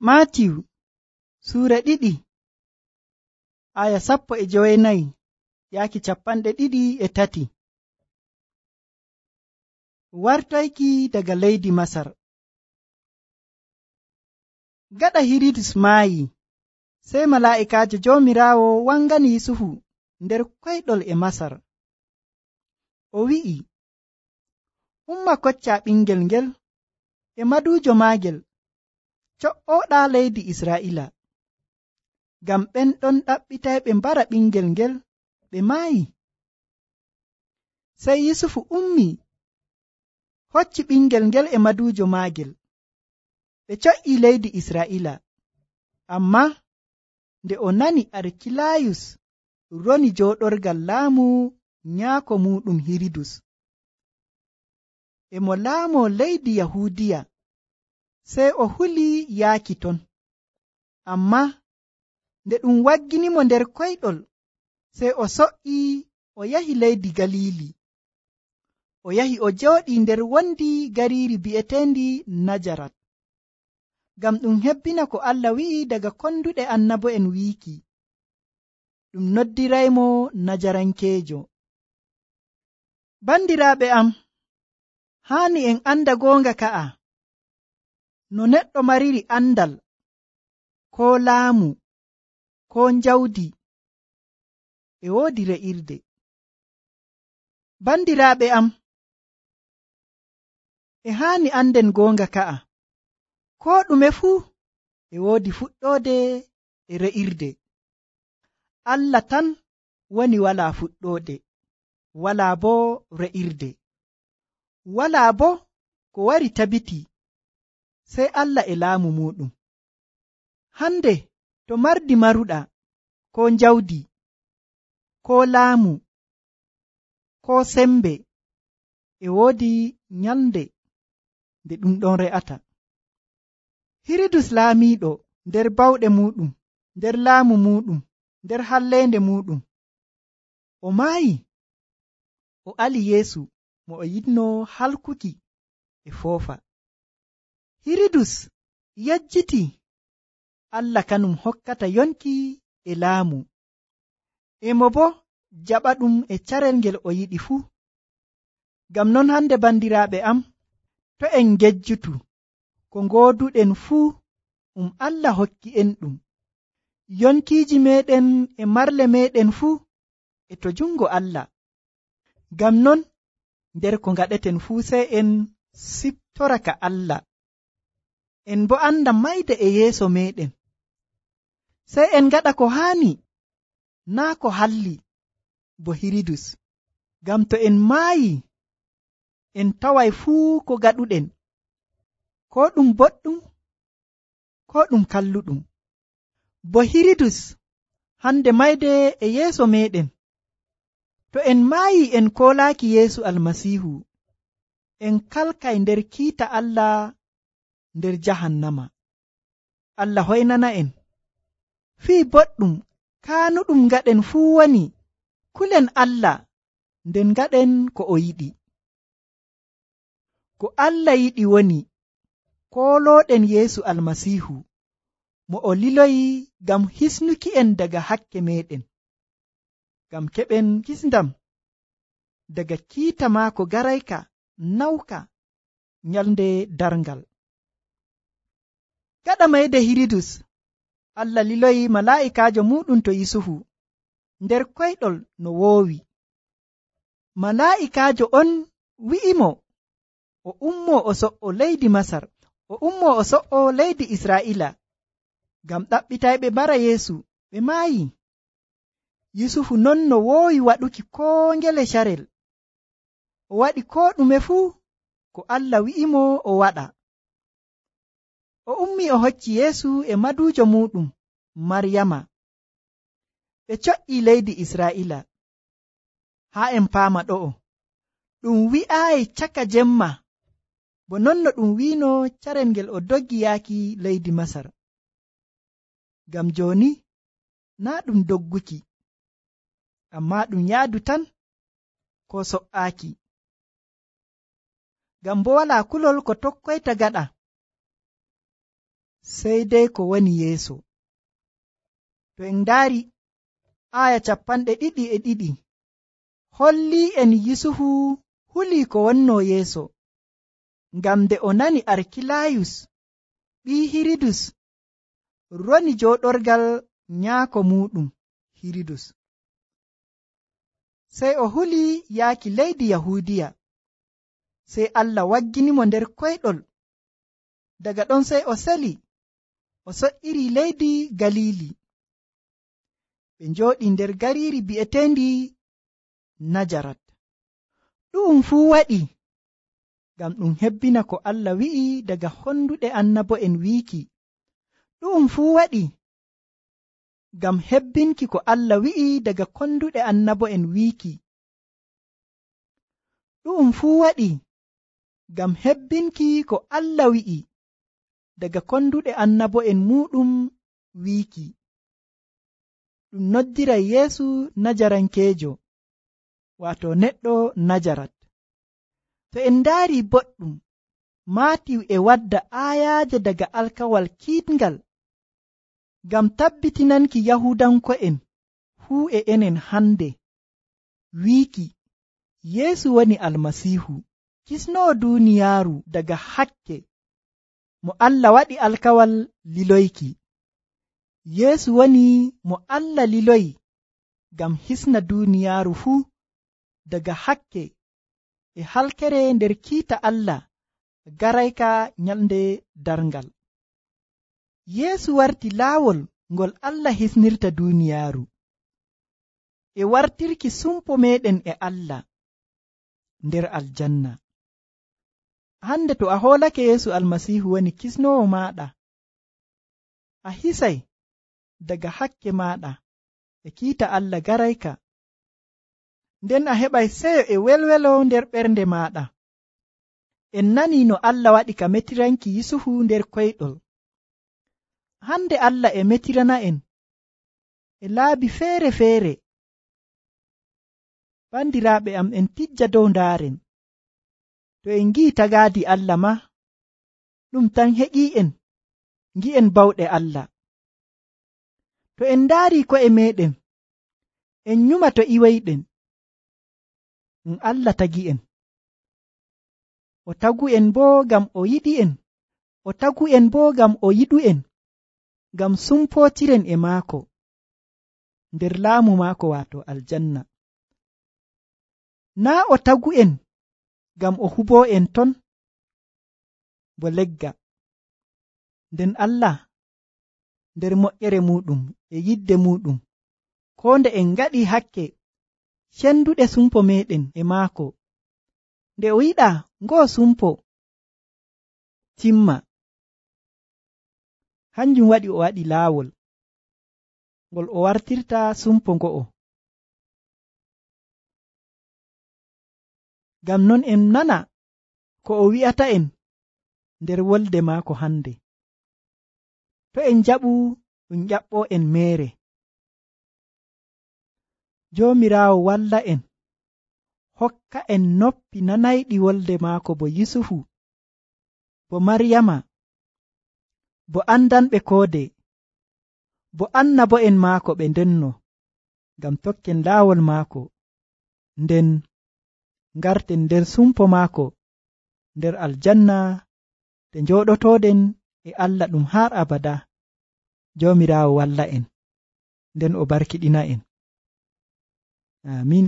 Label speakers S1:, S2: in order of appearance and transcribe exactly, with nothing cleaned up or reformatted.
S1: Maatiyu suura ɗiɗi aya sappo e jowenayi yaaki capanɗe ɗiɗi e tati. Wartoyki daga leydi Masar. Gaɗa Hiridus maayi, sey malaa'ikaajo Joomiraawo wangani Yusufu nder koyɗol e Masar. O wi'i, umma koccaa ɓingel ngel e maduujo maagel co'ooɗaa leydi Israa'iila, ngam ɓen ɗon ɗaɓɓitayɓe mbara ɓingel ngel ɓe maayi. Sey Yusufu ummii hocci ɓingel ngel e maduujo maagel ɓe co'ii leydi Israa'iila. Ammaa nde o nani Arkilayus roni jooɗorgal laamu nyaako muuɗum Hiridus e mo laamoo leydi Yahuudiya, sey o hulii yaaki ton. Ammaa nde ɗum wagginimo nder koyɗol, sey o so'ii o yahi leydi Galiili. O yahi o jooɗii nder wondi gariiri bi'eteendi Najarat, ngam ɗum hebbina ko Allah wi'i daga konduɗe annabo'en wiiki, ɗum noddiraymo Najarankeejo. Bandiraaɓe am, haani en anda goonga ka'a, no neɗɗo mariri andal, koo laamu, koo njawdi, e woodi re'irde. Bandiraaɓe am, e haani anden goonga ka'a, koo ɗume fuu e woodi fuɗɗoode e re'irde. Allah tan woni walaa fuɗɗoode, walaa boo re'irde, walaa boo ko wari tabiti sey Allah e laamu muuɗum. Hande to mardi maruɗaa, koo njawdi, koo laamu, koo sembe, e woodi nyalnde nde ɗum ɗon re'ata. Hiridus laamiiɗo nder bawɗe muuɗum, nder laamu muuɗum, nder halleende muuɗum, o maayi, o ali Yeesu mo o yiɗnoo halkuki e foofa. Hiridus yejjitii Allah kanum hokkata yonki e laamu, e mo boo jaɓa ɗum e carel ngel o yiɗi fuu. Ngam non hande bandiraaɓe am, to en ngejjutu ko ngooduɗen fuu, um Allah hokki en ɗum. Yonkiiji meeɗen e marle meeɗen fuu e to jungo Allah. Ngam non nder ko ngaɗeten fuu sey en siftora ka Allah, en boo anda mayde e yeeso meeɗen. Sey en ngaɗa ko haani, naa ko halli bo Hiridus. Ngam to en maayi, en taway fuu ko gaɗuɗen, koo ɗum boɗɗum, koo ɗum kalluɗum. Bo Hiridus hande mayde e yeeso meeɗen. To en maayi en koolaaki Yeesu Almasiihu, en kalkay nder kiita Allah nder jahannama. Allah hoynana en. Fii boɗɗum kaanuɗum ngaɗen fuu woni kulen Allah nden ngaɗen ko o yiɗi. Ko Allah yiɗi woni koolooɗen Yeesu Almasiihu mo o liloyi ngam hisnuki en daga hakke meeɗen, ngam keɓen kisndam daga kiita maako garayka nawka nyalnde darngal. Gaɗa mayde Hiridus, Allah liloyi malaa'ikaajo muuɗum to Yusufu nder koyɗol no woowi. Malaa'ikaajo on wi'imo o ummoo o so'o leydi Masar, o ummoo o so'o leydi Israa'iila, ngam ɗaɓɓitayɓe mbara Yeesu ɓe maayi. Yusufu non no woowi waɗuki koo ngele carel, o waɗi koo ɗume fuu ko Allah wi'imo o waɗa. O ummii o hocci Yeesu e maduujo muuɗum Maryama, ɓe co'ii leydi Israa'iila. Haa en paama ɗo'o, ɗum wi'aayi caka jemma, bo non no ɗum wiino carel ngel o doggi yaaki leydi Masar. Ngam jooni naa ɗum dogguki, ammaa ɗum yaadu tan koo so''aaki. Ngam bo walaa kulol ko tokkoyta gaɗa. sey dey ko woni yeeso. To en ndaari aya capanɗe ɗiɗi e ɗiɗi hollii en Yusufu hulii ko wonno yeeso, ngam nde o nani Arkilayus ɓii Hiridus roni jooɗorgal nyaako muuɗum Hiridus, sey o hulii yaaki leydi Yahuudiya. Sey Allah wagginimo nder koyɗol. Daga ɗon sey o seli o so'iri leydi Galili. Ɓe njooɗi nder gariiri bi'eteendi Najarat. Ɗu'um fuu waɗi ngam ɗum hebbina ko Allah wi'i daga honduɗe annabo'en wiiki. Ɗu'um fuu waɗi ngam hebbinki ko Allah wi'i daga konduɗe annabo'en wiiki. Ɗu'um fuu waɗi ngam hebbinki ko Allah wi'i daga konduɗe annabo'en muuɗum wiiki. Ɗum noddiray Yeesu Najarankeejo, waato neɗɗo Najarat. To en ndaari boɗɗum, Maatiw e wadda aayaaje daga alkawal kiitngal ngam tabbitinanki Yahuudanko'en fuu e enen hande wiiki Yeesu woni Almasiihu, kisnoowo duuniyaaru daga hakke mo Allah waɗi alkawal liloyki. Yeesu woni mo Allah liloyi ngam hisna duuniyaaru fuu daga hakke e halkere nder kiita Allah garayka nyalnde darngal. Yeesu warti laawol ngol Allah hisnirta duuniyaaru e wartirki sumpo meɗen e Allah nder aljanna. Hande to a hoolake Yeesu Almasiihu woni kisnoowo maaɗa, a hisay daga hakke maaɗa e kiita Allah garayka, nden a heɓay seyo e welwelo nder ɓernde maaɗa. En nanii no Allah waɗi ka metiranki Yusufu nder koyɗol. Hande Allah e metirana en e laabi feere-feere. Bandiraaɓe am, en tijja dow ndaaren. To en ngi'i tagaadi Allah ma, ɗum tan heƴii'en ngi'en bawɗe Allah. To en ndaari ko'e meɗen, en nyuma to iwayɗen. Ɗum Allah tagi'en. O tagu'en boo ngam o yiɗi'en, o tagu'en boo ngam o yiɗu'en, ngam sumpootiren e maako nder laamu maako waato aljanna. Naa o tagu'en ngam o huboo en ton bo legga. Nden Allah nder moƴƴere muuɗum e yidde muuɗum, koo nde en ngaɗii hakke cenduɗe sumpo meɗen e maako, nde o yiɗa ngoo sumpo timma, hanjum waɗi o waɗi laawol ngol o wartirta sumpo ngo'o. Ngam non en nana ko o wi'ata en nder wolde maako hande. To en jaɓu ɗum ƴaɓɓoo en meere. Joomiraawo walla en, hokka en noppi nanayɗi wolde maako bo Yusufu, bo Maryama, bo andanɓe koode, bo annabo'en maako ɓe ndenno, ngam tokken laawol maako, nden ngarten nder sumpo maako nder aljanna te njooɗotooɗen e Allah ɗum har abada. Joomiraawo walla en, nden o barkiɗina en. Amin.